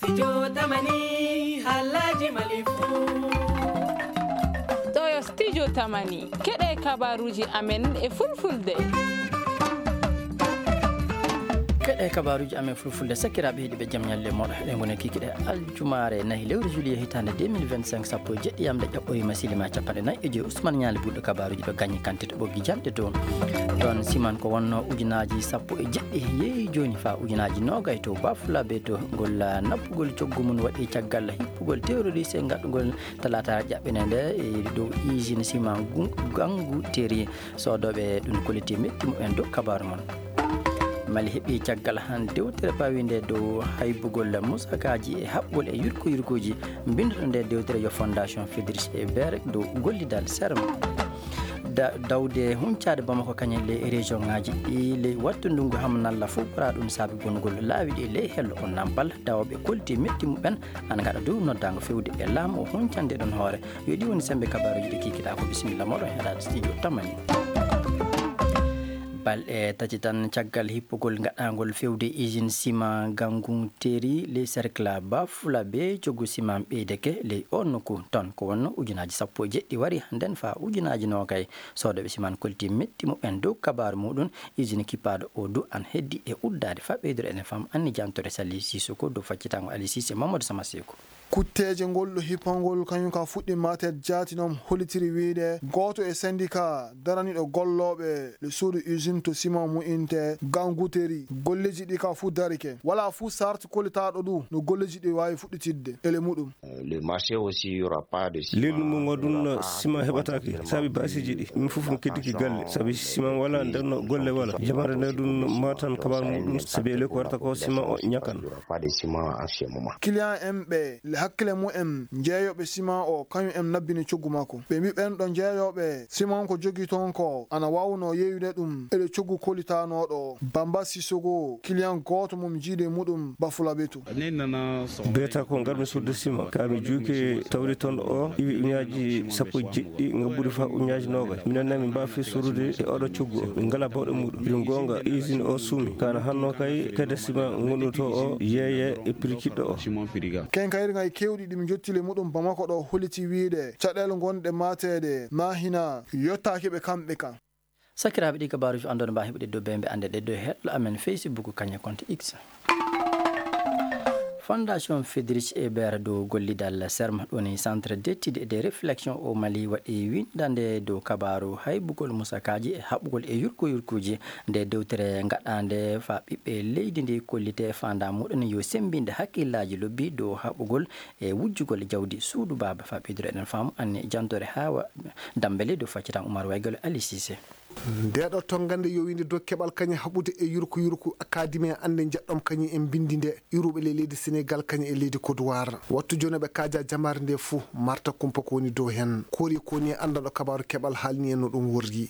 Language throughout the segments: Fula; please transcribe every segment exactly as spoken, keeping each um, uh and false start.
Studio Tamani, haalaaji Mali fuu. Ɗo yo Studio Tamani, keɗe kabaruuji amen e fulfulde. Keɗe kabaruuji amen fulfulde, sakiraaɓe heɗiiɓe, jam ñalle mooɗon. Eɗen ngoni kikiɗe aljumaare nayi lewru juillet hitaande deux mille vingt-cinq, sappo e jeɗɗi yamde ƴaɓɓoyi ma silima capanɗe nayi e joyi. Ousmane Ñaali ɓurɗo kabaruuji ɗo gañi kantite ɓoggi janɗe dow. Ɗon siman ko wonno ujunaaji sappo e jeɗɗi yeeyi jooni faa ujunaaji noogay to Bafulabe to ngol naɓugol coggu mum waɗi caggal hippugol terroriste ngaɗugol talaata jaɓɓene nde e dow usine siman gu-, Gangu Teri. Soodooɓe ɗum koliti metti mumen dow kabaru mon. Mali heɓi caggal han dewtere pawinde dow haybugol musakaaji e haɓɓol e yurko yurkooji. Mbinduɗo nde dewtere yo Fondation Friedrich Ebert dow gollidal serm. Da-, dawde huncaade Bamako kañe ley région ŋaaji ɗi ley wattu ndungu ham nalla fof ɓura ɗum saabi bonugol laawi ɗi ley hello on nampal dawooɓe kolti metti muɓen ana ngaɗa dow noddaango fewde e laamu o huncande ɗon hoore. Yo ɗi woni sembe kabaruuji ɗi kikiɗaa ko bisimilla moɗon heɗaade studio Tamani. Balɗe tati tan caggal hippugol gaɗaangol fewde usine ciment Gangu Teri ley cercle Bafulabe, coggu ciment ɓeydeke ley oon nokku. Toon ko wonno ujunaaji sappo e jeɗɗi wari hannden faa ujunaaji noogay. Soodooɓe ciment kolti metti muɓen dow kabaaru muɗum. Usine kippaaɗo o du an heddi e uddaade faa ɓeydude enen fam anni jantore Sali Sisoko dow faccitango Ali Sise Mamadou Sama Seko. Kutteeje ngol ɗo hippangol kañum ka fuɗɗi matet jaati noon hollitiri wiyde gooto e syndicat daraniiɗo gollooɓe le suudu usine to ciment mu'inte Ganguteri. Golleeji ɗi ka fuu darike. Walaa fuu sarti kollitaaɗo ɗum no golleeji ɗi waawi fuɗɗitidde ele muɗum. Le marché aussi, il y aura pas de ciment. Leydi mum o ɗum ciment heɓataake. Sabi baasiiji ɗi. Min fof mi keddiki galle. Sabi ciment wala, nden no golle wala. Jamaare nde ɗum matan kabar muɗum. Sabi ele ko warata ko ciment o ñakan. Pas de ciment en ce moment. Client en ɓe, le hakkile mumen, jeeyooɓe ciment o, kañum en nabbini coggu makko. Ɓe mbi ɓen ɗo jeeyooɓe ciment ko jogi toon ko, ana waawno yeeyude ɗum, ele coggu kolitanooɗo. Bamba Sissoko, client gooto mum jiide muɗum, Bafulabe to. Beta ko ngarmi sudde ciment, ka mi juuke tawri toon o, iwi uñaaji sappo jeɗɗi, ngabbudi fa uñaaji noogay. Minen na min mbaafi sorude e oɗo coggu o. Min ngala bawɗe muɗum. Ɗum goonga, usine o suumi. Kana hanno kay, kede ciment ngonɗo to o, yeeye e prix kiɗɗo o. Kenkayri ngay kewɗi ɗi mi jottile muɗum Bamako ɗo holliti wiide caɗeele gonɗe mateede na hina yottaaki ɓe kamɓe kan. Sakiraaɓe, ɗi kabaaruuji anndon mbaa heɓude dow bembe annde ɗe dow hello amen Facebook kañe compte X. Fondation Friedrich Ebert dow gollidal serm, ɗoni Centre d'études et de réflexion au Mali, waɗi winndande dow kabaaru haybugol musakaaji e haɓugol e yurko yurkuuji. Nde dewtere ngaɗaande faa ɓiɓɓe leydi ndi kollite faandaa muɗum yo semmbinde hakkillaaji lobbi dow haɓugol e wujjugol jawdi suudu baaba. Faa ɓeydude eɗen faamu anni jantore Hawa Dambele dow faccitan Umar Waygol Ali Cissé. Ndeeɗo tonngande yowinde dow keɓal kañe haɓude e yurko yurko akademi e annde njeɗɗom kañum en mbinndi nde iwruɓe le leydi Senegal kañum e leydi Côte d'Ivoire. Wattu jooni ɓe kaaja jamaare nde fuu marta kumpa ko woni dow heen. Kori ko woni anndanɗo kabaaru keɓal haalni en no ɗum worri.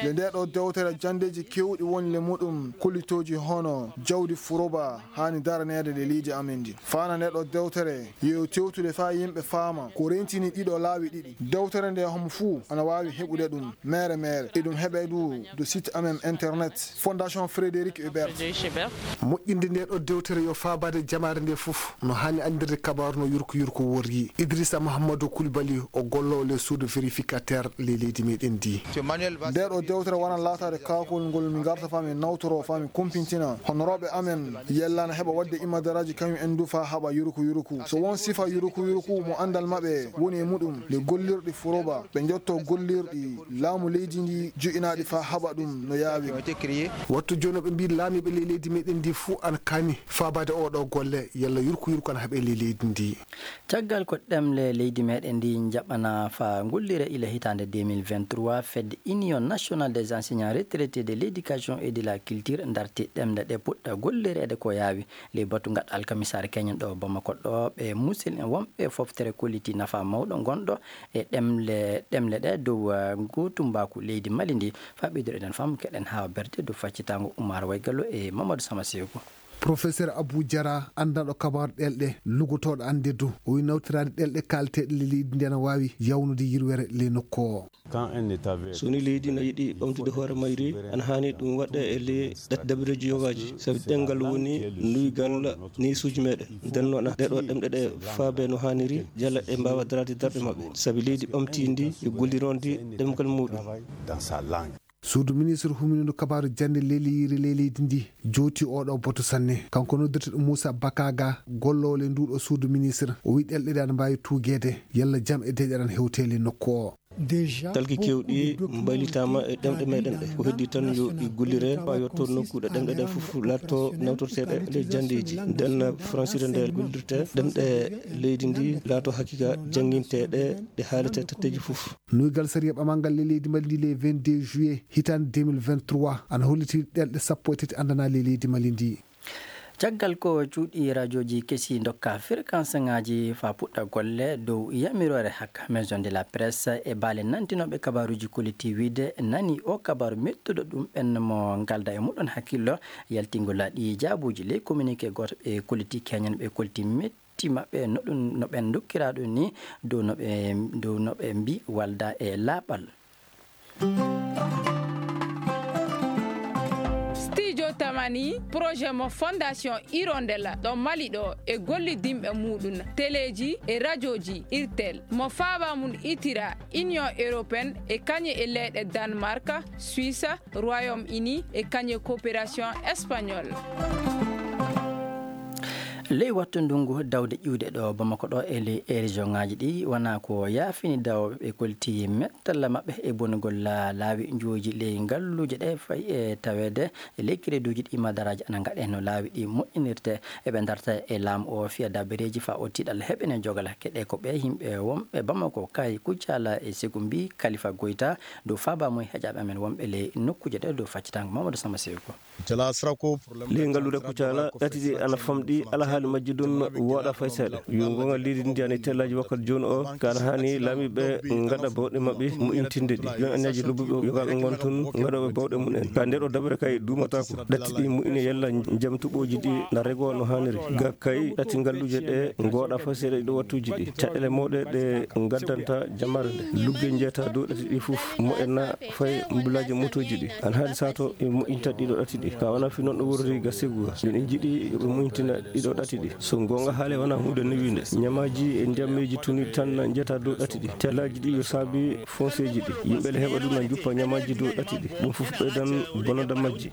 Le ndeeɗo dewtere janndeeji keewɗi woni le muɗum kollitooji hono jawdi furoba haani daraneede le leydi amen ndi. Faana ndeeɗo dewtere yo tewtude faa yimɓe faama ko rentini ɗiɗo laawi ɗiɗi. Dewtere nde homo fuu ana waawi heɓude ɗum mere mere. Eɗum heɓe du do site amen internet Fondation Frédéric Hubert. Moƴƴinde nde ɗo dewtere yo faabaade jamaare nde fof no haani anndirde kabaaru no yurko yurko worri. Idrissa Mahamadou Koulibaly o gollo le suudu vérificateur le leydi meɗen ndi. Nde ɗo dewtere wona laataade kaakol ngol mi garta faa mi nawtoro faa mi kumpintina honorooɓe amen yellana heɓa waɗde imadaraaji kañum en du faa haɓa yurko yurko. So won sifa yurko yurko mo anndal maɓɓe woni e muɗum le gollirɗi furoba ɓe njotto gollirɗi laamu leydi ndi joƴinaaɗi faa haɓa ɗum no yaawi. Wattu jooni ɓe mbi laamiiɓe ley leydi meɗen ndi fuu ana kaani faabaade oo ɗoo golle yalla yurko yurko ana haɓe ley leydi ndi. Caggal ko ɗemle leydi meɗen ndi njaɓana faa gollire ila hitaande deux mille vingt-trois, fedde Union Nationale des Enseignants Retraités de l'Éducation et de la Culture darti ɗemle ɗe puɗɗa gollireede ko yaawi. Ley batu ngaɗa alkamisaare keñen ɗo Bamako ɗo, ɓe musidɓe wonɓe foftere kolliti nafa mawɗo ngonɗo e ɗemle, ɗemle ɗe dow, eh, gootumbaaku leydi Mali ndi. Faa ɓeydude eɗen faamu keɗen haa berde dow faccitango Umar Waygallo e Mamadou Sama Seko. Professeur Abou Diarra, anndanɗo kabaaru ɗelɗe, lugotooɗo annde du, o wi nawtiraade ɗelɗe kaalateeɗe ley leydi ndi ana waawi yawnude yirwere ley nokku o. So ni leydi na yiɗi ɓamtude hoore mayri, ana haani ɗum waɗɗe e ley ɗat-, dabireeji yogaaji, sabi ɗemngal woni nuygal neesuuji meɗen. Nden noon, ɗeɗo ɗemɗe ɗe faabe no haaniri, yalla ɗe mbaawa daraade darɗe maɓɓe, sabi leydi ɓamtiindi e gollirondi ɗemngal muuɗum. Suudu ministre humindu kabaaru jannde leleyiri ley leydi ndi jooti oɗo boto sanne. Kanko noddirteɗo Moussa Bakaga, golloowo ley nduɗo suudu ministre, o wi ɗelɗe ɗe ana mbaawi tuugeede, yalla jam e deƴƴere ana hewte ley nokku o. Talki kewɗi mbaylitaama e ɗemɗe meɗen ɗe. Ko heddi tan yo ɗi gollire, haa yotto nokku ɗe ɗemɗe ɗe fof laatto nawtorteeɗe ley janndeeji. Nden francire nde gollirte ɗemɗe leydi ndi laatto haqiqa jannginteeɗe, ɗe haalete tatteeji fof. Nuygal sariya ɓamangal ley leydi Mali ndi le vingt-deux juillet hitaande deux mille vingt-trois ana holliti ɗelɗe sappo e tati anndana ley leydi Mali ndi. Caggal ko cuuɗi rajooji kesi ndokka fréquence ŋaaji faa puɗɗa golle dow yamiroore hakka Maison de la Presse e baale nantinooɓe kabaaruuji kolliti wiide nani o kabaaru mettuɗo ɗum ɓen mo ngalda e muɗon hakkillo yaltingol ɗi jaabuuji ley communiqué gooto ɓe kolliti keñan ɓe kolliti metti maɓɓe no ɗum, no ɓen ndokkira ɗum ni dow no ɓe, dow no ɓe mbi walda e laaɓal. Studio Tamani, projet mo Fondation Hirondella ɗo Mali ɗo e gollidinɓe muɗum, teleeji e rajooji Irtel, mo faaba mum itira Union Européenne e kañe e leyɗe Danemark, Suisse, Royaume-Uni e kañe Coopération Espagnole. Ley wattu ndungu dawde ƴiwde ɗo Bamako ɗo e ley e région ŋaaji ɗi wona ko yaafini dawɓe ɓe kolti mettalla maɓɓe e bonugol la-, laawi njuuji ley ngalluuje ɗe fayi e taweede e ley crédit uji ɗi madaraaji ana ngaɗe no laawi ɗi moƴƴinirte. Eɓe darta e laamu o fiya dabareeji faa o tiiɗal heɓene jogal hakke ɗe ko ɓe yimɓe wonɓe Bamako kay Kucala e Segumbi Kalifa Goyta dow faaba mum heƴaaɓe amen wonɓe ley nokkuuje ɗe dow faccitango Mamadou Samba Seyko. Ley ngalluure Kucala, ɗati ɗi ana famɗi, alhaali majji ɗum wooɗa fay seeɗa. Yo goonga leydi ndi ana e tellaaji wakkati jooni o, ka ana haani laamiiɓe ngaɗa bawɗe maɓɓe moƴƴintinde ɗi. Jooni anniyaji lobbuɓe yoga ɓe ngon tun ngaɗooɓe bawɗe mum en. Ka nder o daɓere kay duumataako. Ɗati ɗi moƴƴine yalla jam tuɓooji ɗi na regoo no haaniri. Ga kay ɗati ngalluuje ɗe ngooɗa fay seeɗa ɗi ɗo wattuuji ɗi. Caɗeele mawɗe ɗe ngaddanta jamaare nde. Lugge njeeta dow ɗati ɗi fof moƴƴana fay mbulaaji motooji ɗi. Ana haali sato e moƴƴinta ɗiɗo ɗati ɗi. Ka wona fi noon ɗo worri ga segu ga. Min en jiɗi yoɓe moƴƴintina ɗiɗo ɗati ɗi. So goonga haale wona huunde newiinde. Ñamaaji e ndiyammeeji tuni tan na njeeta dow ɗati ɗi. Tellaaji ɗi yo saabi fonseeji ɗi. Yimɓe le heɓa ɗum na njuppa ñamaaji dow ɗati ɗi. Ɗum fof ɓeydan bonanda majji.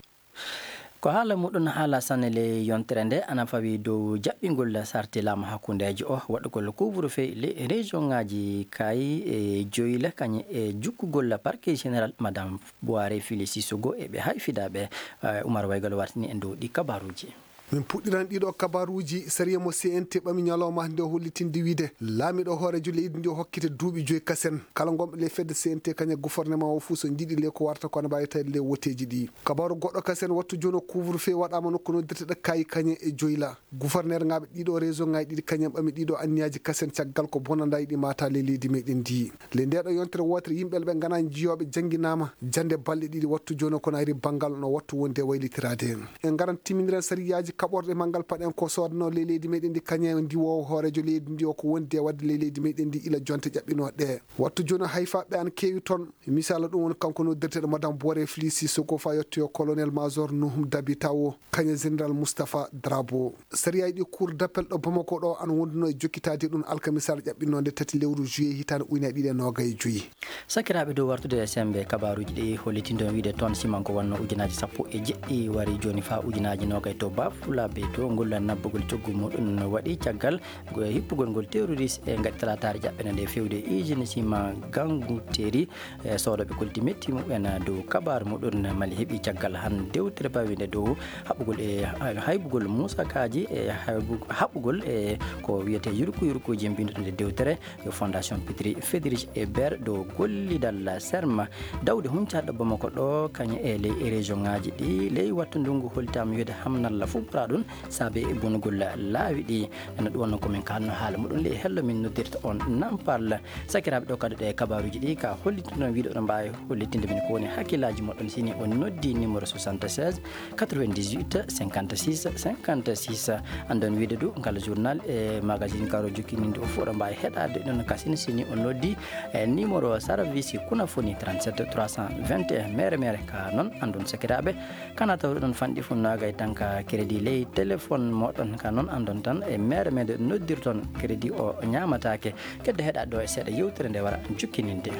Ko haala muɗum haala sanne le yontere nde ana fawi dow jaɓɓingol sarti laamu hakkundeejo o waɗugol couvre-feu le région ŋaaji kay e joyla kañe e jukkugol parquet général Madame Boire Fili Sissoko e ɓe hay fidaaɓe, eh, Umar Waygal wartini en dow ɗi kabaruuji. Min puɗɗiran ɗiɗo kabaruuji sariya mo C N T ɓami ñalawma nde hollitinde wiide laamiɗo hoorejo leydi ndi o hokkite duuɓi joyi kasen. Kala ngonɓe le fedde C N T kañe gouvernement o fuu so njiɗi le ko warta ko ana mbaawi tawi le woteeji ɗi. Kabaru goɗɗo kasen wattu jooni o couvre-feu waɗaama nokku noddirteɗo kayi kañe e joyla. Gouverneur ŋaaɓe ɗiɗo région ŋaaji ɗiɗi kañen ɓami ɗiɗo anniyaaji kasen caggal ko bonandaay ɗi maata le leydi meɗen ndi. Le ndeɗo yontere wootere yimɓe ɓe ngana jiyooɓe jannginaama jannde balɗe ɗiɗi wattu jooni o kono ari banngal no wattu wonde waylitiraade. En ngaran timminiren sariyaaji kaɓorɗe manngal paɗen ko soodano le leydi meɗen ndi kañe ndiwoowo hoorejo leydi ndi o ko wondi e waɗde le leydi meɗen ndi ila jonte ƴaɓɓinooɗe. Wattu jooni o hayfaaɓe an keewi toon. Misal ɗum woni kanko noddirteɗo Madame Boire Fili Sissoko fa yettoyo colonel major Nuhum Dabi Tawo, kañe général Moustapha Drabo. Sariya ɗi cour d'appel ɗo Bamako ɗo ana wonduno e jokkitaade ɗum alkamisal ƴaɓɓinnoonde tati lewru juillet hitaande ujunere ɗiɗi e noogay e joyi. Sakiraaɓe dow wartude e sembe kabaruuji ɗi hollitindo wiide toon siman ko wonno ujunaaji sappo e jeɗɗi wari jooni fa ujunaaji noogay to Bafulabe to ngol nabbugol coggu muɗum waɗi caggal Go e hippugol ngol terroriste e ngaɗi talaataare jaɓɓene nde fewde e usine ciment Gangu Teri, e soodooɓe kolti metti mumen dow kabaru muɗum Mali heɓi caggal han dewtere bawinde dow haɓugol e haybugol musakaaji e haybu-, haɓugol e ko wiyete yurku yurkuuji mbinduɗo nde dewtere yo Fondation Petri Fedrich Ebert dow gollidal serma dawde huncaaɗo Bamako ɗo kañe e ley région ŋaaji ɗi ley wattu ndungu holtaama wiide hamnalla fof Ɗum saabe bonugol laawi ɗi. Ene ɗum wonno ko min kaalno haala muɗum ley hello min noddirta on Nampal. Sakiraaɓe, ɗo kadi ɗe kabaaruuji ɗi ka hollitino wiide oɗon mbaawi hollitinde min ko woni hakkillaaji moɗon sini on noddi numéro soixante-seize quatre-vingt-dix-huit cinquante-six cinquante-six. Anndon wiide du ngal journal e magazine karo jokkininde o fof oɗon mbaawi heɗaade ɗon kasine sini on noddi e numéro service kunafoni trente-sept trois cent vingt et un mere mere ka noon anndon sakiraaɓe. Kana tawruɗon fanɗi funnaagay tan ka crédit ley téléphone moɗon ka noon anndon tan e mere mere noddirton crédit o ñaamataake. Kedde heɗa ɗo e seeɗa yewtere nde wara jukkininde.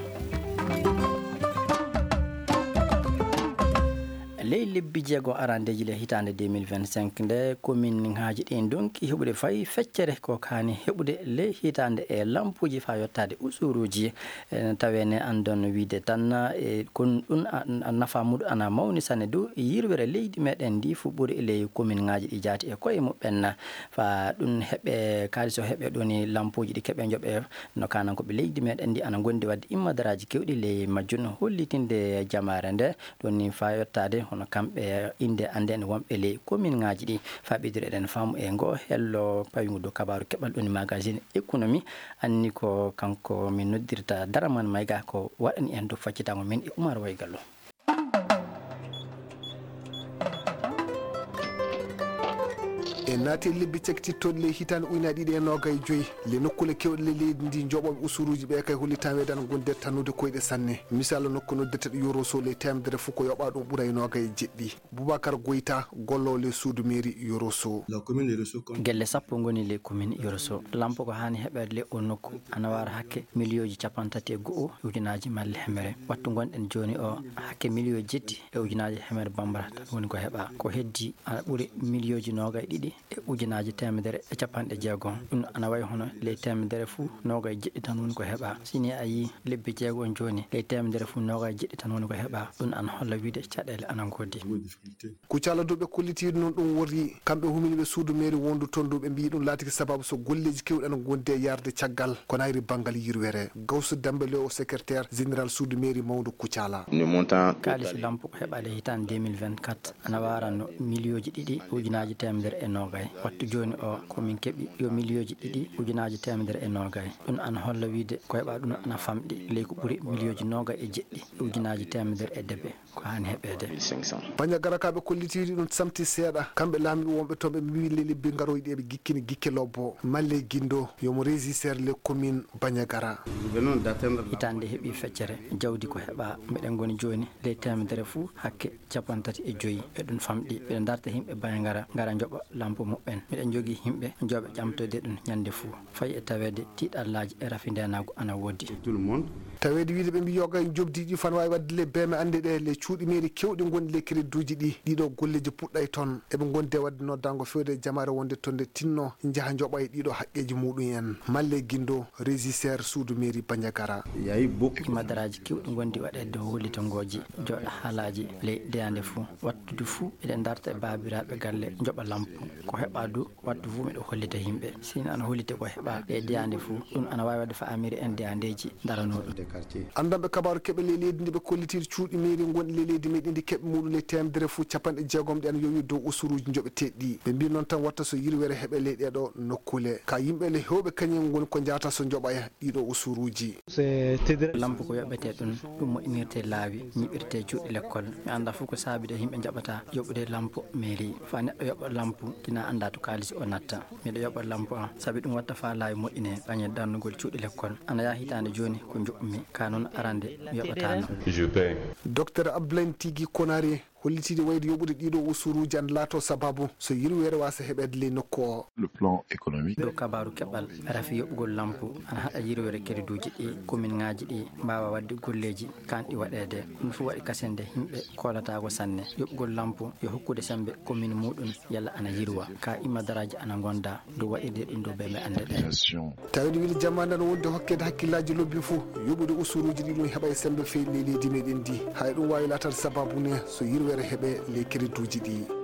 Ley lebbi jeego arandeeji le hitaande deux mille vingt-cinq nde commune ŋaaji ɗi ndonki heɓude fay feccere ko kaani heɓude ley hitaande e lampuuji faa yottaade usuruuji. Ene tawee ne anndon wiide tan e kon ɗum a- a- nafa muɗum ana mawni sanne du yirwere leydi meɗen ndi fu ɓuri ley commune ŋaaji ɗi jaati e koye muɓɓen. Faa ɗum heɓe kaalis o heɓe ɗoni lampuuji ɗi keɓe njoɓe no kanan ko ɓe leydi meɗen ndi ana ngondi wadde immadaraaji kewɗi ley majjum hollitinde jamaare nde ɗoni faa yottaade hono kamɓe innde annden wonɓe ley commune ŋaaji ɗi. Faa ɓeydire eɗen faamu e ngo hello pawi ngu dow kabaaru keɓal ɗoni magazine économie. Anni ko kanko min noddirta Daraman Mayga ko waɗani en dow faccitango min e Umar Waygallo. E naati e lebbi cakitittooɗi ley hitaande ujunaaji ɗiɗi e noogay joyi le nokkuule kewɗe le leydi ndi joɓooɓe usuruuji ɓe kay hollitaa weedaano gonde tannude koyɗe sanne. Misal nokku noddeteɗo Yoroso ley teemedere fof ko yoɓaa ɗum ɓura e noogay e jeɗɗi. Boubacar Goyta, gollowo le suudu mairie Yoroso. Gelle sappo ngoni le commune Yoroso. Lampo ko haani heɓeede le o nokku ana waara hakke miliyooji cappanɗe tati e go'o e ujunaaji malle hemere. Wattu ngonɗen jooni o hakke miliyooji jetti e ujunaaji hemere bambara tan woni ko heɓaa. Ko heddi ana ɓuri miliyooji noogay ɗiɗi e ujunaaji teemedere e cappanɗe jeegom. Ɗum ana wayi hono ley teemedere fuu noogay jeɗɗi tan woni ko heɓaa. Si ni a yii lebbi jeegom jooni, ley teemedere fuu noogay jeɗɗi tan woni ko heɓaa. Ɗum ana holla wiide caɗeele ana ngoodi. Kucala dow ɓe kollitiiɗo noon ɗum woni kamɓe huminiiɓe suudu mairie wondu toon dow ɓe mbiyi ɗum laatiki sababu so golleeji kewɗi ana ngondi e yarde caggal ko nayri banngal yirwere. Gawsu Demba le o secrétaire général suudu mairie mawndu Kucala. Kaalis lampu ko heɓaade hitaande deux mille vingt-quatre ana waarano miliyooji ɗiɗi ujunaaji teemedere e noogay. Wattu jooni o ko min keɓi yo miliyooji ɗiɗi ujunaaji teemedere e noogay. Ɗum ana holla wiide ko heɓaa ɗum ana famɗi ley ko ɓuri miliyooji noogay e jeɗɗi ujunaaji teemedere e debe. Ko haani heɓeede. Banjagara ka ɓe kollitiiɗi ɗum samti seeɗa. Kamɓe laamiiɓe wonɓe toon ɓe mbiyi le lebbi ngarooji ɗi eɓe gikkini gikke lobbo. Malle Gindo yomo régisseur le commune Banjagara. Hitaande heɓi feccere jawdi ko heɓaa. Meɗen ngoni jooni ley teemedere fuu hakke cappanɗe tati e joyi. Eɗum famɗi. Ɓe darta yimɓe Banjagara ngara njoɓa lampu muɓɓen. Miɗen njogii yimɓe jooɓe ƴamtoyde ɗum ñande fuu. Fayi e taweede tiiɗallaaji e rafi ndeenaagu ana woodi. Taweede wiide ɓe mbiyi yoga e njoɓdi ɗi fana waawi waɗde le beeme annde ɗe le cuuɗi mairie kewɗi ngonɗi le crédituuji ɗi. Ɗiɗo golleeji puɗɗay toon. Eɓe ngondi e waɗde noddaango feewde e jamaare wonde toon nde tinno njaha njoɓa e ɗiɗo haqqeeji muɗum en. Malle Gindo, régisseur suudu mairie Banjagara. Imadaraaji kewɗi ngondi waɗeede dow hollitangooji jooɗa haalaaji ley deyaande fuu. Wattude fuu eɗen darta e baabiraaɓe galle njoɓa lampu. Ko heɓaa du wattu fuu miɗo hollita yimɓe. Sini ana hollite ko heɓaa e deyaande fuu. Ɗum ana waawi waɗde faamiri en deyaandeeji daranooɗum. Anndanɓe kabaaru keɓe ley leydi ndi ɓe kollitiiɗo cuuɗi mairie ngonɗi ley leydi meɗen ndi keɓe muɗum ley teemedere fuu cappanɗe jeegom ɗi ana yowi dow usuruuji njoɓeteeɗi ɗi. Ɓe mbii noon tan watta so yirwere heɓe ley ɗeeɗo nokkuule. Ka yimɓe le heewɓe kañum ngoni ko njaata so njoɓa e ɗiɗo usuruuji. Lampu ko yoɓetee ɗum, ɗum moƴƴinirtee laawi, ñiɓirtee cuuɗi lekkol. Mi anndaa fof ko saabi de yimɓe njaɓataa yoɓude lampu mairie. Faa neɗɗo yoɓa lampu, kina anndaa to kaalis o natta. Miɗo yoɓa lampu am, sabi ɗum watta faa laawi moƴƴinee, ɓaŋe darnugol cuuɗi lekkol. Ana yaha hitaande jooni ko njoɓmi, ka noon arande mi yoɓataano. Docteur Abdoulaye Tigi Konare hollitiiɗi wayde yoɓude ɗiɗo usuruuji ana laato sababu so yirwere waasa heɓeede ley nokku o. Le plan économique. Dow kabaaru keɓal, rafi yoɓugol lampu ana haɗa yirwere kerduuji ɗi, kominŋaaji ɗi mbaawa waɗde golleeji kanɗi waɗeede. Ɗum fof waɗi kasende yimɓe koolataako sanne. Yoɓugol lampu yo hokkude semmbe komin muɗum yalla ana yirwa. Ka imadaraaji ana ngonda dow waɗirde ɗum dow beembe annde ɗe. Taweede wiide jamaane ana wonde hokkeede hakkillaaji lobbi fof yoɓude usuruuji ɗi ɗum heɓa e semmbe feewi ley leydi meɗen ndi. Hay ɗum waawi laataade sababu ne so yirwere heɓe ley kerduuji ɗi.